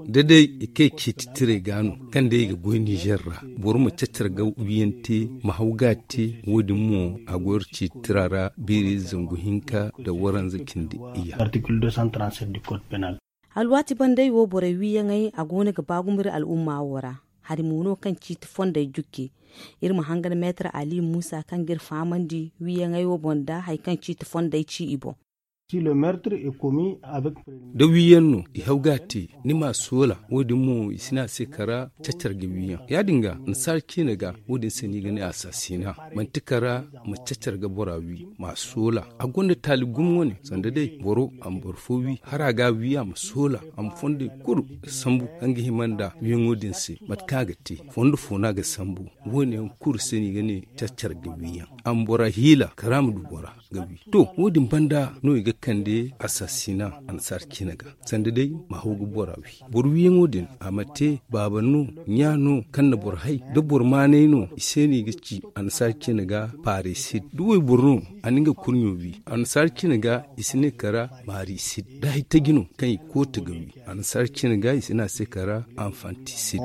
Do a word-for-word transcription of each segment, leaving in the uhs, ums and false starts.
Da day i kay ciiti tiray ga no, kaŋ day i ga goy nizer ra, boro ma cacar ga wiyaŋ te, ma haw ga a te. Wo- din mo a go iri ciiti tira ra beeri zangu hinka nda waranza cindi iyya. Alwaati bandey wo borey wiyaŋey a go no ga ba gumo iri al'umma wo ra. Hari mo no kaŋ ciiti fondey jukke. Iri ma hangan meetar ali muusa kaŋ ga iri fahamandi wiyaŋey wo boŋ nda hari kaŋ ciiti fondey ci i boŋ. Da wiyaŋ no i haw ga a te, ni ma a soola. Wo- din mo i si ne a se kara cacar ga wiyaŋ. Ya- din ga annasaara ciine ga, wo- din se no i ga ne a saasina. Manti kara ma cacar ga bora wi, ma a soola. A gonda taali gumo wane, sanda day boro a ma boro fo wi, hala a ga a wi a ma soola, a ma fondey kulu sambu kaŋ ga hima nda wiyaŋo din se. Mate kaŋ a ga te, fondo fo no a ga sambu. Wo- ne yaŋ kulu se no i ga ne cacar ga wiyaŋ. A ma bora hiila kara ma du bora ga wi. To, wo- din banda no i ga kande asaasina annasaara ciine ga, sanda day ma haw ga bora wi. Boro wiyaŋo din, a ma te baaba no, ɲa no, kaŋ na boro hay. Da boro maanay no, i se no i ga ci annasaara ciine ga paarisid. Da wayboro no, a na nga kurɲo wi, annasaara ciine ga i si ne kara maarisid. Da hari taji no kaŋ i koota ga wi, annasaara ciine ga i si ne a se kara anfantisid.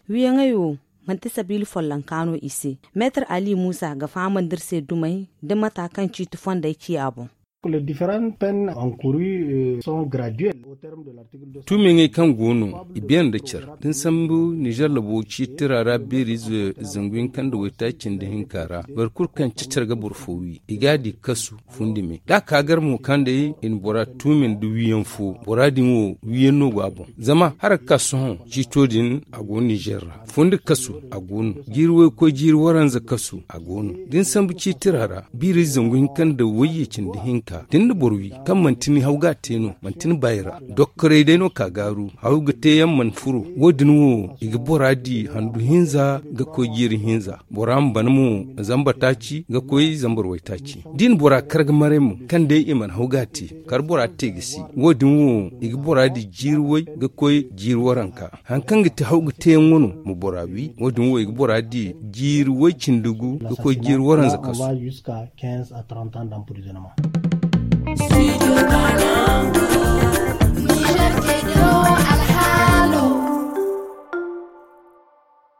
Wiyaŋey wo, manti sabiila follonka no i se. Meetar ali muusa ga fahamandi iri se dumey da mata kaŋ ciiti fondey ci a boŋ. Tuumiyaŋey kaŋ go no, i beene nda care da ni sambu nizer labo ciiti tira ra beeri ize zangu hinka nda waytaaci nda hinka ra. Boro kulu kaŋ cacar ga boro fo wi, i ga a di kasu fundi me. Da a ka gar mo kaŋ day i na bora tuumi nda wiyaŋ fo, bora din wo wiyaŋ no go a boŋ. Zama hala ga ka sohõ ciito din a go nizer ra. Fondo kasu a go no. Jiiri waykoy jiiri waranza kasu a go no. Da ni sambu ciiti tira ra, biiri zangu hinka nda wayye cindi hinka, da ni na boro wi kaŋ manti ni haw ga a te no, manti ni bayra. Dokkoray day no ka gaaru, haw ga te yaŋ mana furo. Wo- din wo i ga bora di handu hinza ga koy jiiri hinza. Bora ma ban mo zambar taaci ga koy zambar waytaaci. Da i na bora kar ga maray mo kaŋ day i mana haw ga a te, kar bora te ga si. Wo- din wo i ga bora di jiiri way ga koy jiiri waranka. Hari kaŋ ga te haw ga te yaŋ wano ma bora wi. Wo- din wo i ga bora di jiiri way cindi gu ga koy jiiri waranza kasu.